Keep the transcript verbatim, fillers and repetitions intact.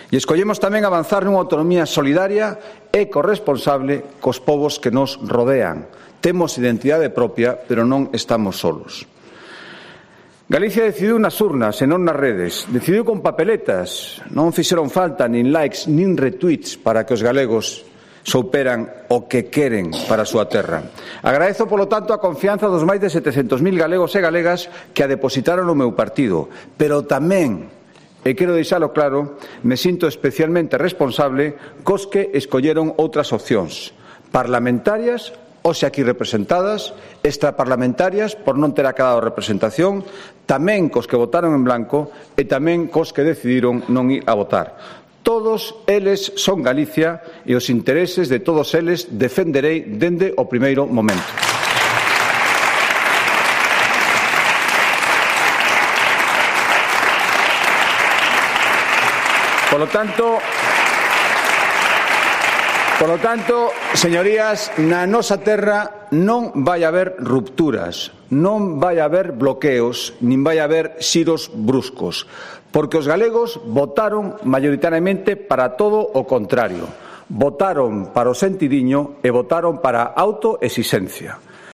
E escollemos tamén avanzar nunha autonomía solidaria e corresponsable cos povos que nos rodean. Temos identidade propia, pero non estamos solos. Galicia decidiu nas urnas e non nas redes. Decidiu con papeletas. Non fixeron falta nin likes nin retweets para que os galegos souperan o que queren para a súa terra. Agradezo, polo tanto, a confianza dos máis de setecentos mil galegos e galegas que a depositaron no meu partido, pero tamén, e quero deixalo claro, me sinto especialmente responsable cos que escolleron outras opcións parlamentarias, hoxe aquí representadas, extraparlamentarias por non ter acabado representación, tamén cos que votaron en blanco e tamén cos que decidiron non ir a votar. Todos eles son Galicia e os intereses de todos eles defenderei dende o primeiro momento. Por lo tanto, por lo tanto, señorías, na nosa terra non vai haber rupturas, non vai haber bloqueos, nin vai haber xiros bruscos, porque os galegos votaron maioritariamente para todo o contrario. Votaron para o sentidiño e votaron para a autoexigencia.